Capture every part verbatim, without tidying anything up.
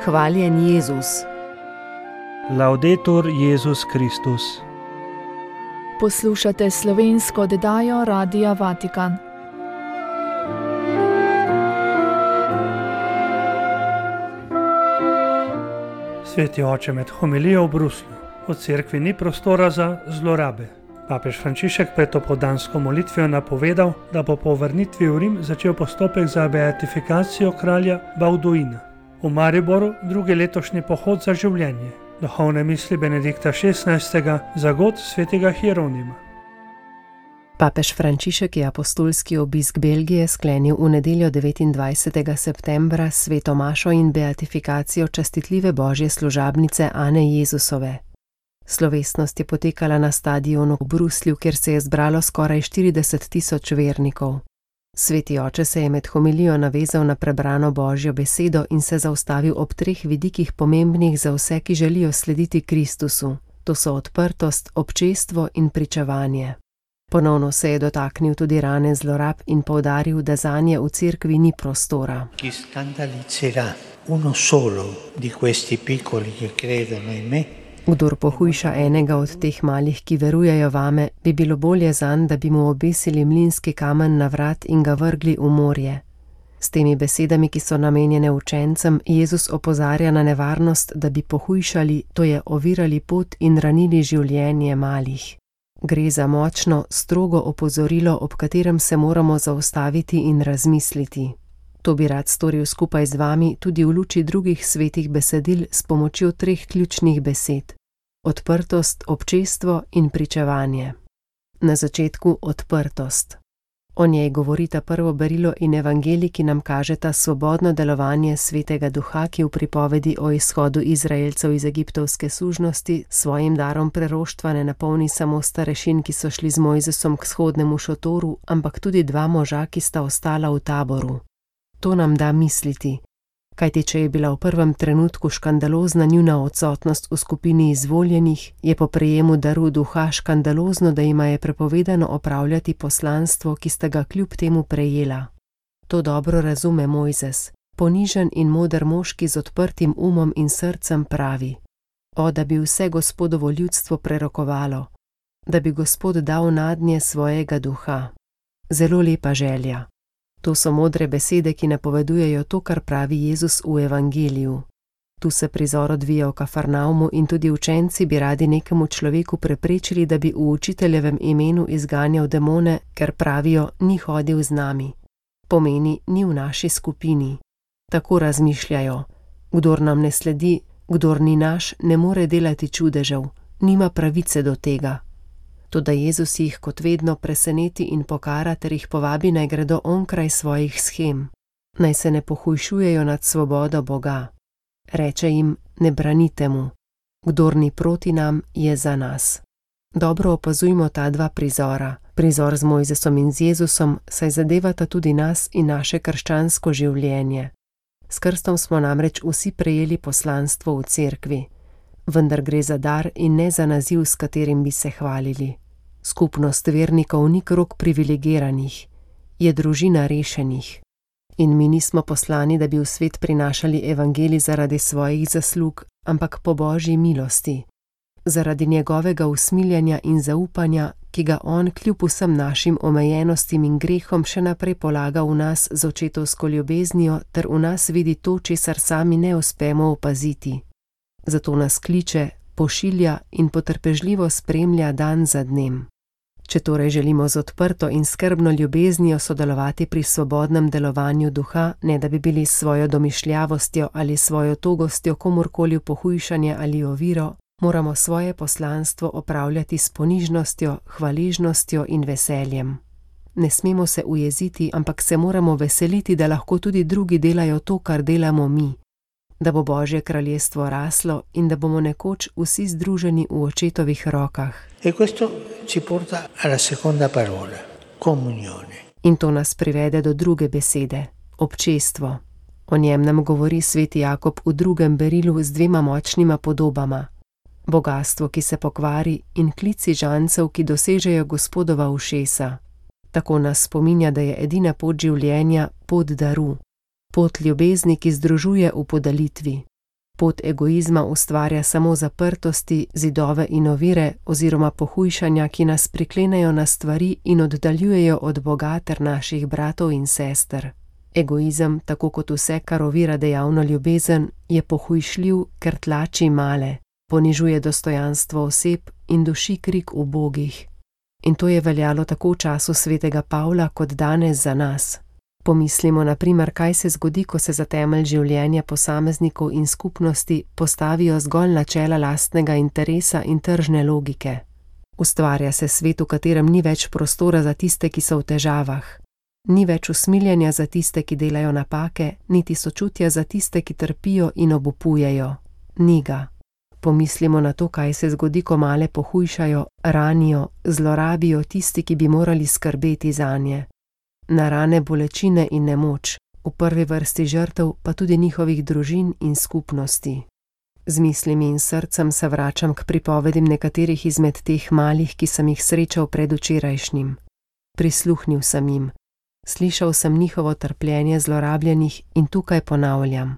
Hvaljen Jezus. Laudetur Jezus Kristus. Poslušate slovensko oddajo Radia Vatikan. Sveti oče, med homilijo v Bruslju v cerkvi ni prostora za zlorabe. Papež Frančišek pred opoldansko molitvijo napovedal, da bo po vrnitvi v Rim začel postopek za beatifikacijo kralja Balduina. V Mariboru drugi letošnji pohod za življenje, duhovne misli Benedikta šestnajstega za god svetega Hieronima. Papež Frančišek je apostolski obisk Belgije sklenil v nedeljo devetindvajsetega septembra s sveto mašo in beatifikacijo častitljive božje služabnice Ane Jezusove. Slovesnost je potekala na stadionu v Bruslju, kjer se je zbralo skoraj štirideset tisoč vernikov. Sveti oče se je med homilijo navezal na prebrano božjo besedo in se zaustavil ob treh vidikih pomembnih za vse, ki želijo slediti Kristusu. To so odprtost, občestvo in pričevanje. Ponovno se je dotaknil tudi rane zlorab in poudaril, da zanje v cerkvi ni prostora. Chi scandalizzerà uno solo di questi piccoli che credono in me? Kdor pohujša enega od teh malih, ki verujejo vame, bi bilo bolje zanj, da bi mu obesili mlinski kamen na vrat in ga vrgli v morje. S temi besedami, ki so namenjene učencem, Jezus opozarja na nevarnost, da bi pohujšali, to je ovirali pot in ranili življenje malih. Gre za močno, strogo opozorilo, ob katerem se moramo zaustaviti in razmisliti. To bi rad storil skupaj z vami tudi v luči drugih svetih besedil s pomočjo treh ključnih besed: odprtost, občestvo in pričevanje. Na začetku odprtost. O njej govorita prvo berilo in evangelij, ki nam kažeta svobodno delovanje svetega duha, ki v pripovedi o izhodu Izraelcev iz egiptovske sužnosti svojim darom preroštva ne napolni samo starešin, ki so šli z Mojzesom k shodnemu šotoru, ampak tudi dva moža, ki sta ostala v taboru. To nam da misliti, kajti če je bila v prvem trenutku škandalozna njuna odsotnost v skupini izvoljenih, je po prejemu daru duha škandalozno, da jima je prepovedano opravljati poslanstvo, ki sta ga kljub temu prejela. To dobro razume Mojzes, ponižen in moder moški z odprtim umom in srcem pravi: O, da bi vse Gospodovo ljudstvo prerokovalo, da bi Gospod dal nadnje svojega duha. Zelo lepa želja. To so modre besede, ki napovedujejo to, kar pravi Jezus v evangeliju. Tu se prizor odvija v Kafarnaumu in tudi učenci bi radi nekemu človeku preprečili, da bi v učiteljevem imenu izganjal demone, ker pravijo, ni hodil z nami. Pomeni, ni v naši skupini. Tako razmišljajo. Kdor nam ne sledi, kdor ni naš, ne more delati čudežev, nima pravice do tega. Toda Jezus jih kot vedno preseneti in pokara ter jih povabi, naj gredo onkraj svojih shem, naj se ne pohujšujejo nad svobodo Boga. Reče jim, ne branite mu, kdor ni proti nam, je za nas. Dobro opazujmo ta dva prizora, prizor z Mojzesom in z Jezusom, saj zadevata tudi nas in naše krščansko življenje. S krstom smo namreč vsi prejeli poslanstvo v cerkvi. Vendar gre za dar in ne za naziv, s katerim bi se hvalili. Skupnost vernikov ni krog privilegiranih, je družina rešenih. In mi nismo poslani, da bi v svet prinašali evangelij zaradi svojih zaslug, ampak po božji milosti, zaradi njegovega usmiljanja in zaupanja, ki ga on kljub vsem našim omejenostim in grehom še naprej polaga v nas z očetovsko ljubeznijo ter v nas vidi to, česar sami ne uspemo opaziti. Zato nas kliče, pošilja in potrpežljivo spremlja dan za dnem. Če torej želimo z odprto in skrbno ljubeznijo sodelovati pri svobodnem delovanju duha, ne da bi bili s svojo domišljavostjo ali svojo togostjo komorkoli v pohujšanje ali oviro, moramo svoje poslanstvo opravljati s ponižnostjo, hvaležnostjo in veseljem. Ne smemo se ujeziti, ampak se moramo veseliti, da lahko tudi drugi delajo to, kar delamo mi. Da bo Božje kraljestvo raslo in da bomo nekoč vsi združeni v očetovih rokah. E questo ci porta alla seconda parola, comunione. In to nas privede do druge besede, občestvo. O njem nam govori sveti Jakob v drugem berilu z dvema močnima podobama. Bogastvo, ki se pokvari, in klici žancev, ki dosežejo Gospodova ušesa. Tako nas spominja, da je edina pot življenja pot daru. Pot ljubezni, ki združuje v podalitvi. Pot egoizma ustvarja samo zaprtosti, zidove in ovire oziroma pohujšanja, ki nas priklenejo na stvari in oddaljujejo od Boga ter naših bratov in sester. Egoizem, tako kot vse, kar ovira dejavno ljubezen, je pohujšljiv, ker tlači male, ponižuje dostojanstvo oseb in duši krik ubogih. In to je veljalo tako v času svetega Pavla kot danes za nas. Pomislimo na primer, kaj se zgodi, ko se za temelj življenja posameznikov in skupnosti postavijo zgolj načela lastnega interesa in tržne logike. Ustvarja se svet, v katerem ni več prostora za tiste, ki so v težavah. Ni več usmiljenja za tiste, ki delajo napake, niti sočutja za tiste, ki trpijo in obupujejo. Ni ga. Pomislimo na to, kaj se zgodi, ko male pohujšajo, ranijo, zlorabijo tisti, ki bi morali skrbeti zanje. Na rane, bolečine in nemoč, v prvi vrsti žrtev, pa tudi njihovih družin in skupnosti. Z mislimi in srcem se vračam k pripovedim nekaterih izmed teh malih, ki sem jih srečal predvčerajšnjim. Prisluhnil sem jim. Slišal sem njihovo trpljenje zlorabljenih in tukaj ponavljam.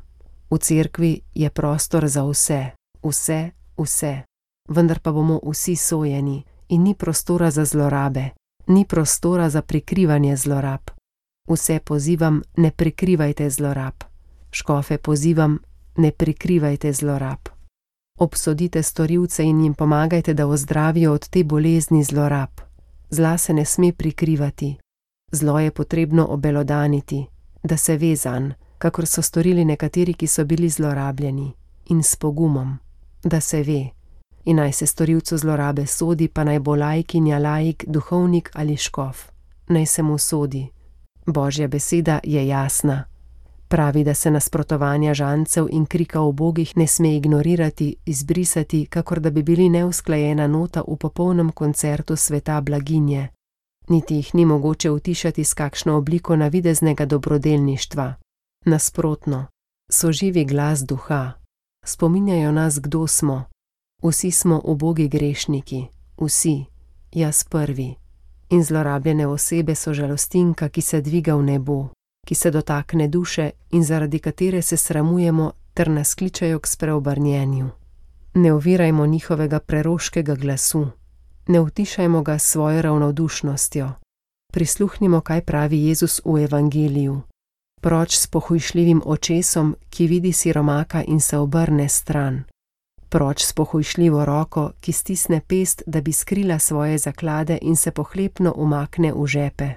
V cerkvi je prostor za vse, vse, vse, vendar pa bomo vsi sojeni in ni prostora za zlorabe, ni prostora za prikrivanje zlorab. Vse pozivam, ne prikrivajte zlorab. Škofe pozivam, ne prikrivajte zlorab. Obsodite storilce in jim pomagajte, da ozdravijo od te bolezni zlorab. Zla se ne sme prikrivati. Zlo je potrebno obelodaniti, da se ve zanj, kakor so storili nekateri, ki so bili zlorabljeni, in s pogumom, da se ve, in naj se storilcu zlorabe sodi, pa naj bo laikinja, laik, duhovnik ali škof. Naj se mu sodi. Božja beseda je jasna. Pravi, da se nasprotovanja žancev in krika ubogih ne sme ignorirati, izbrisati, kakor da bi bili neusklajena nota v popolnem koncertu sveta blaginje. Niti jih ni mogoče utišati s kakšno obliko navideznega dobrodelništva. Nasprotno, so živi glas duha. Spominjajo nas, kdo smo. Vsi smo ubogi grešniki, vsi, jaz prvi. In zlorabljene osebe so žalostinka, ki se dviga v nebo, ki se dotakne duše in zaradi katere se sramujemo ter nas kličejo k spreobrnjenju. Ne ovirajmo njihovega preroškega glasu. Ne utišajmo ga s svojo ravnodušnostjo. Prisluhnimo, kaj pravi Jezus v evangeliju. Proč s pohujšljivim očesom, ki vidi siromaka in se obrne stran. Proč s pohujšljivo roko, ki stisne pest, da bi skrila svoje zaklade in se pohlepno umakne v žepe.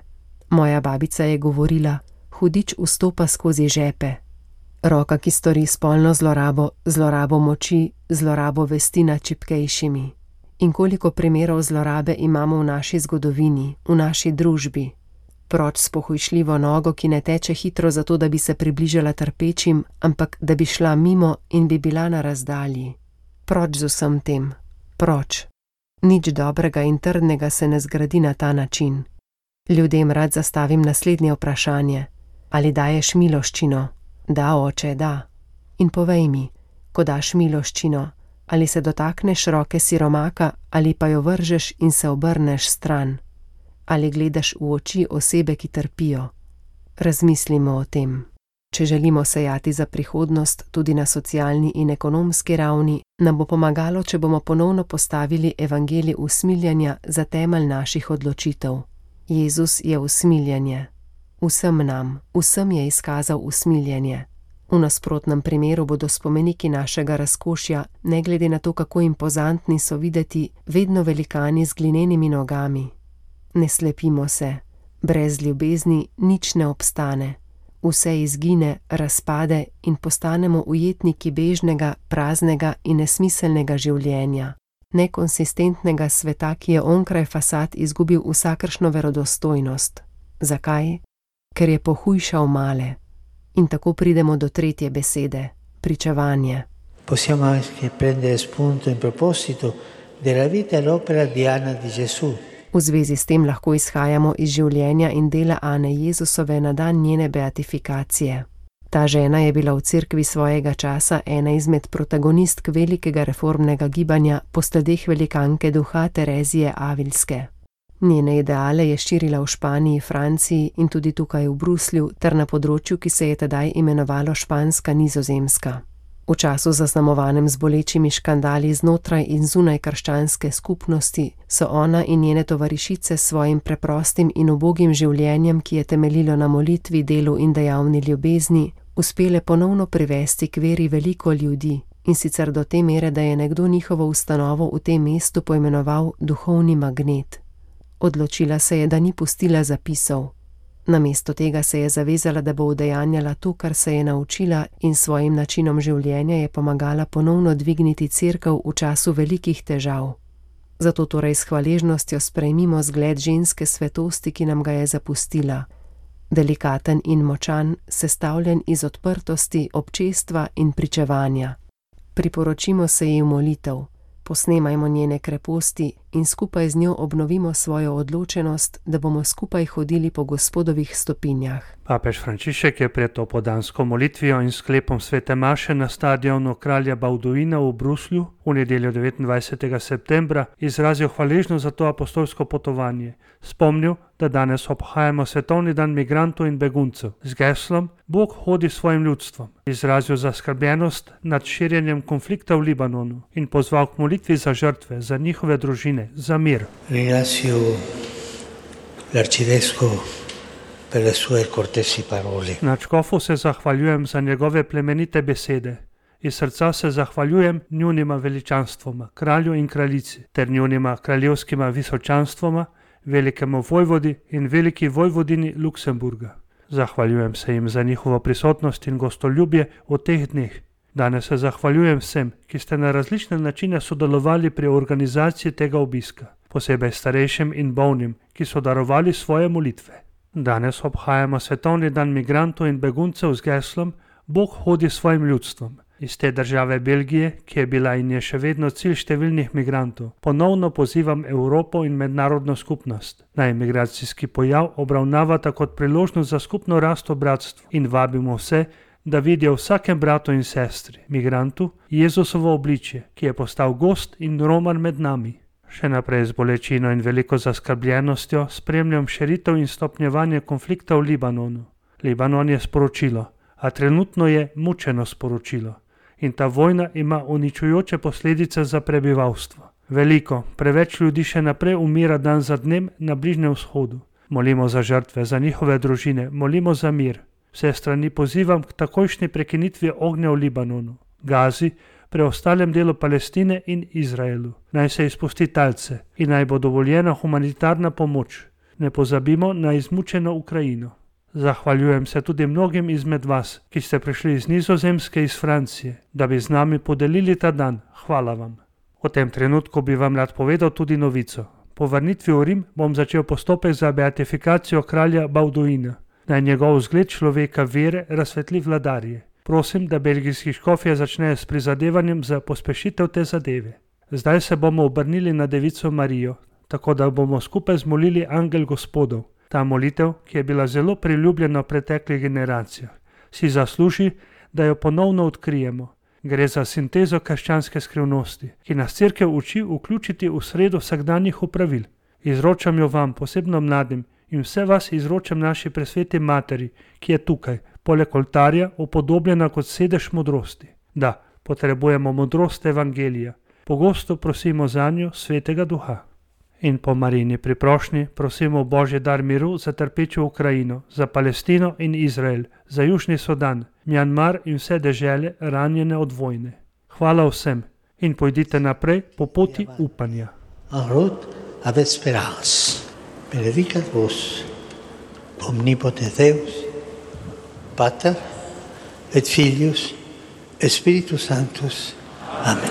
Moja babica je govorila, hudič vstopa skozi žepe. Roka, ki stori spolno zlorabo, zlorabo moči, zlorabo vesti nad čipkejšimi. In koliko primerov zlorabe imamo v naši zgodovini, v naši družbi. Proč s pohujšljivo nogo, ki ne teče hitro zato, da bi se približala trpečim, ampak da bi šla mimo in bi bila na razdalji. Proč z vsem tem? Proč? Nič dobrega in trdnega se ne zgradi na ta način. Ljudem rad zastavim naslednje vprašanje. Ali daješ miloščino? Da, oče, da. In povej mi, ko daš miloščino, ali se dotakneš roke siromaka, ali pa jo vržeš in se obrneš stran? Ali gledaš v oči osebe, ki trpijo? Razmislimo o tem. Če želimo sejati za prihodnost tudi na socialni in ekonomski ravni, nam bo pomagalo, če bomo ponovno postavili evangelij usmiljanja za temelj naših odločitev. Jezus je usmiljanje. Vsem nam, vsem je izkazal usmiljanje. V nasprotnem primeru bodo spomeniki našega razkošja, ne glede na to, kako impozantni so videti, vedno velikani z glinenimi nogami. Ne slepimo se, brez ljubezni nič ne obstane. Vse izgine, razpade in postanemo ujetniki bežnega, praznega in nesmiselnega življenja. Nekonsistentnega sveta, ki je onkraj fasad izgubil vsakršno verodostojnost. Zakaj? Ker je pohujšal male. In tako pridemo do tretje besede, pričevanje. Possiamo anche prendere spunto in proposito della vita e l'opera di Anna di Gesù. V zvezi s tem lahko izhajamo iz življenja in dela Ane Jezusove na dan njene beatifikacije. Ta žena je bila v cerkvi svojega časa ena izmed protagonistk velikega reformnega gibanja po sledeh velikanke duha Terezije Avilske. Njene ideale je širila v Španiji, Franciji in tudi tukaj v Bruslju ter na področju, ki se je tedaj imenovalo Španska Nizozemska. V času zaznamovanem z bolečimi škandali znotraj in zunaj krščanske skupnosti so ona in njene tovarišice s svojim preprostim in ubogim življenjem, ki je temeljilo na molitvi, delu in dejavni ljubezni, uspele ponovno privesti k veri veliko ljudi, in sicer do te mere, da je nekdo njihovo ustanovo v tem mestu poimenoval duhovni magnet. Odločila se je, da ni pustila zapisov. Namesto tega se je zavezala, da bo udejanjala to, kar se je naučila, in svojim načinom življenja je pomagala ponovno dvigniti cerkev v času velikih težav. Zato torej s hvaležnostjo sprejmimo zgled ženske svetosti, ki nam ga je zapustila. Delikaten in močan, sestavljen iz odprtosti, občestva in pričevanja. Priporočimo se ji v molitev, posnemajmo njene kreposti in skupaj z njo obnovimo svojo odločenost, da bomo skupaj hodili po Gospodovih stopinjah. Papež Frančišek je pred opoldansko molitvijo in sklepom svete maše na stadionu kralja Balduina v Bruslju v nedeljo devetindvajsetega septembra izrazil hvaležnost za to apostolsko potovanje. Spomnil, da danes obhajamo svetovni dan migrantov in beguncev z geslom Bog hodi s svojim ljudstvom. Izrazil zaskrbljenost nad širjenjem konflikta v Libanonu in pozval k molitvi za žrtve, za njihove družine, za mir. Ringrazio l'arcivescovo per le sue cortesi parole. Nadškofu se zahvaljujem za njegove plemenite besede. Iz srca se zahvaljujem njunima veličanstvoma, kralju in kraljici, ter njunima kraljevskima visočanstvoma, velikemu vojvodi in veliki vojvodini Luksemburga. Zahvaljujem se jim za njihovo prisotnost in gostoljubje v teh dneh. Danes se zahvaljujem vsem, ki ste na različne načine sodelovali pri organizaciji tega obiska, posebej starejšim in bolnim, ki so darovali svoje molitve. Danes obhajamo svetovni dan migrantov in beguncev z geslom Bog hodi s svojim ljudstvom. Iz te države Belgije, ki je bila in je še vedno cilj številnih migrantov, ponovno pozivam Evropo in mednarodno skupnost, naj migracijski pojav obravnavata kot priložnost za skupno rast v bratstvu in vabimo vse, da vidijo v vsakem bratu in sestri, migrantu, Jezusovo obličje, ki je postal gost in roman med nami. Še naprej z bolečino in veliko zaskrbljenostjo spremljam širitev in stopnjevanje konflikta v Libanonu. Libanon je sporočilo, a trenutno je mučeno sporočilo. In ta vojna ima uničujoče posledice za prebivalstvo. Veliko, preveč ljudi še naprej umira dan za dnem na Bližnjem vzhodu. Molimo za žrtve, za njihove družine, molimo za mir. Vse strani pozivam k takojšnji prekinitvi ognja v Libanonu, Gazi, preostalem delu Palestine in Izraelu. Naj se izpusti talce in naj bo dovoljena humanitarna pomoč. Ne pozabimo na izmučeno Ukrajino. Zahvaljujem se tudi mnogim izmed vas, ki ste prišli iz Nizozemske, iz Francije, da bi z nami podelili ta dan. Hvala vam. V tem trenutku bi vam rad povedal tudi novico. Po vrnitvi v Rim bom začel postopek za beatifikacijo kralja Balduina. Naj njegov vzgled človeka vere razsvetli vladarje. Prosim, da belgijski škofje začnejo s prizadevanjem za pospešitev te zadeve. Zdaj se bomo obrnili na Devico Marijo, tako da bomo skupaj zmolili Angel Gospodov. Ta molitev, ki je bila zelo priljubljena v preteklih generacijah, si zasluži, da jo ponovno odkrijemo. Gre za sintezo krščanske skrivnosti, ki nas cerkev uči vključiti v sredo vsakdanjih opravil. Izročam jo vam, posebno mladim, in vse vas izročam naši presveti materi, ki je tukaj, poleg oltarja, upodobljena kot sedež modrosti. Da, potrebujemo modrost evangelija. Pogosto prosimo zanjo svetega duha. In po Marijini priprošnji prosimo Božji dar miru za trpečo Ukrajino, za Palestino in Izrael, za Južni Sudan, Mjanmar in vse dežele ranjene od vojne. Hvala vsem in pojdite naprej po poti upanja. En route avec espérance. Benedicat vos, omnipotens Deus, Pater et Filius et Spiritus Sanctus. Amen.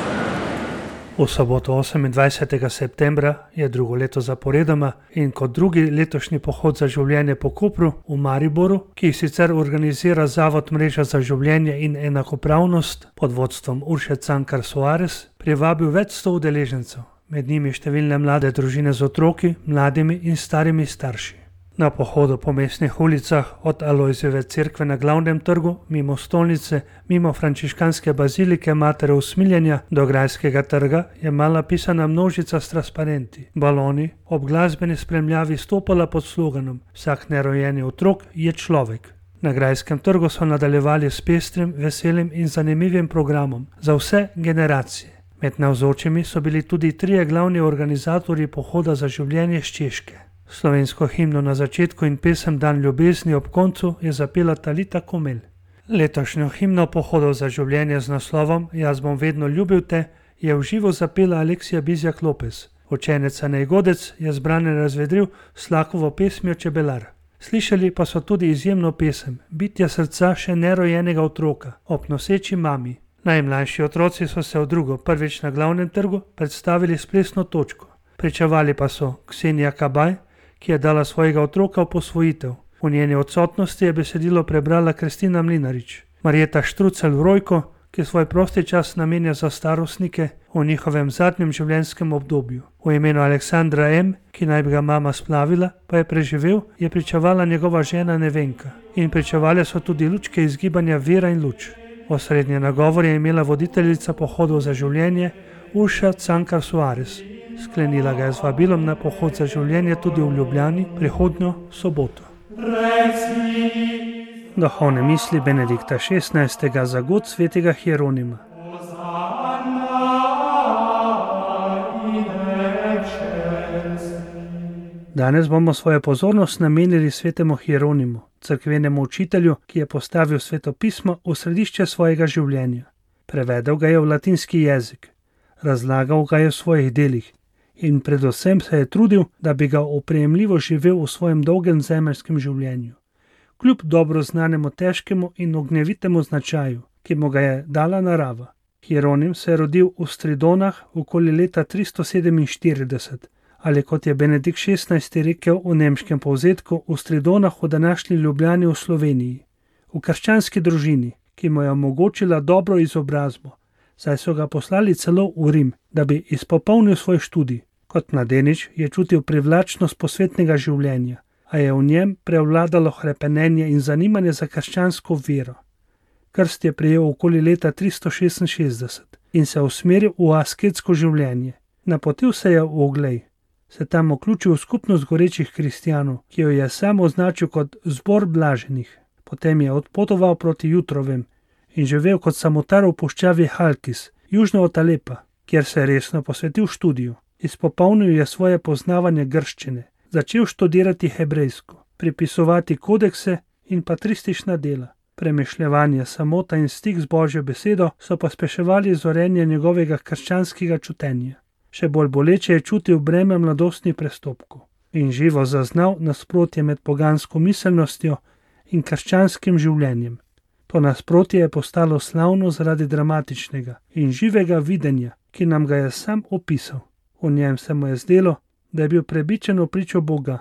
V soboto osemindvajsetega septembra je drugo leto zaporedoma in kot drugi letošnji pohod za življenje po Kopru v Mariboru, ki jih sicer organizira Zavod Mreža za življenje in enakopravnost pod vodstvom Urše Cankar Soares, privabil več sto udeležencev, med njimi številne mlade družine z otroki, mladimi in starimi starši. Na pohodu po mestnih ulicah od Alojzijeve cerkve na Glavnem trgu, mimo stolnice, mimo frančiškanske bazilike Matere usmiljenja do Grajskega trga je mala pisana množica s transparenti, baloni, ob glasbeni spremljavi stopala pod sloganom Vsak nerojeni otrok je človek. Na Grajskem trgu so nadaljevali s pestrim, veselim in zanimivim programom za vse generacije. Med navzočimi so bili tudi trije glavni organizatorji pohoda za življenje s Češke. Slovensko himno na začetku in pesem Dan ljubezni ob koncu je zapela Talita Komelj. Letošnjo himno pohodov za življenje z naslovom Jaz bom vedno ljubil te je v živo zapela Aleksija Bizjak Lopez. Učenec Anej Godec je zbrane razvedril s Slakovo pesmijo Čebelar. Slišali pa so tudi izjemno pesem Bitja srca še nerojenega otroka ob noseči mami. Najmlajši otroci so se v drugo, prvič na glavnem trgu, predstavili s plesno točko. Pričevali pa so Ksenija Kabaj, ki je dala svojega otroka v posvojitev. V njeni odsotnosti je besedilo prebrala Kristina Mlinarič. Marjeta Štrucelj Rojko, ki svoj prosti čas namenja za starostnike v njihovem zadnjem življenjskem obdobju. V imenu Aleksandra M., ki naj bi ga mama splavila, pa je preživel, je pričevala njegova žena Nevenka. In pričevale so tudi lučke iz gibanja Vera in luč. Osrednji nagovor je imela voditeljica pohodov za življenje Urša Cankar Suarez. Sklenila ga je z vabilom na pohod za življenje tudi v Ljubljani prihodnjo soboto. Duhovne misli Benedikta šestnajstega za god svetega Hieronima. Danes bomo svojo pozornost namenili svetemu Hieronimu, cerkvenemu učitelju, ki je postavil svetopismo v središče svojega življenja. Prevedel ga je v latinski jezik, razlagal ga je v svojih delih in predvsem se je trudil, da bi ga oprijemljivo živel v svojem dolgem zemeljskem življenju. Kljub dobro znanemu težkemu in ognjevitemu značaju, ki mu ga je dala narava. Hieronim se je rodil v Stridonah okoli leta tristo sedeminštirideset, ali kot je Benedikt šestnajsti rekel v nemškem povzetku, v Stridonah v današnji Ljubljani v Sloveniji. V krščanski družini, ki mu je omogočila dobro izobrazbo, saj so ga poslali celo v Rim, da bi izpopolnil svoj študij. Kot mladenič je čutil privlačnost posvetnega življenja, a je v njem prevladalo hrepenenje in zanimanje za krščansko vero. Krst je prejel okoli leta tristo šestinšestdeset in se usmeril v asketsko življenje. Napotil se je v Oglej, se tam vključil v skupnost gorečih kristjanov, ki jo je sam označil kot zbor blaženih. Potem je odpotoval proti Jutrovem in živel kot samotar v puščavi Halkis, južno od Alepa, kjer se je resno posvetil študiju. Izpopolnil je svoje poznavanje grščine, začel študirati hebrejsko, pripisovati kodekse in patristična dela. Premišljevanje, samota in stik z Božjo besedo so pospeševali zorenje njegovega krščanskega čutenja. Še bolj boleče je čutil breme mladostnih prestopkov in živo zaznal nasprotje med pogansko miselnostjo in krščanskim življenjem. To nasprotje je postalo slavno zaradi dramatičnega in živega videnja, ki nam ga je sam opisal. V njem se mu je zdelo, da je bil prebičen v pričo Boga,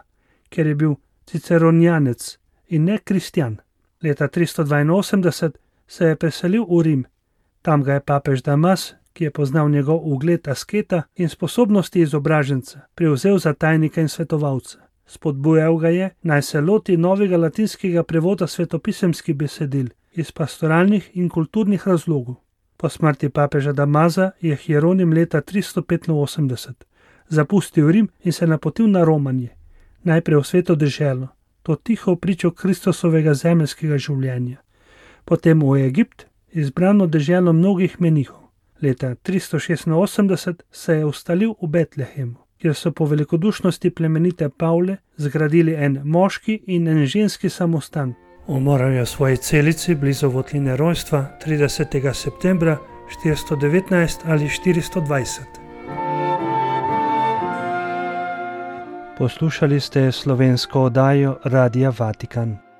ker je bil ciceronjanec in ne kristjan. Leta tristo dvainosemdeset se je preselil v Rim. Tam ga je papež Damas, ki je poznal njegov ugled asketa in sposobnosti izobraženca, prevzel za tajnika in svetovalca. Spodbujal ga je, naj se loti novega latinskega prevoda svetopisemskih besedil iz pastoralnih in kulturnih razlogov. Po smrti papeža Damaza je Hieronim leta tristo petinosemdeset zapustil Rim in se napotil na romanje, najprej v sveto deželo, to tiho pričo Kristusovega zemeljskega življenja. Potem v Egipt, izbrano deželo mnogih menihov. Leta tristo šestinosemdeset se je ustalil v Betlehemu, kjer so po velikodušnosti plemenite Pavle zgradili en moški in en ženski samostan. Umoral je v svoji celici blizu votline rojstva tridesetega septembra štiristo devetnajst ali štiristo dvajset. Poslušali ste slovensko oddajo Radia Vatikan.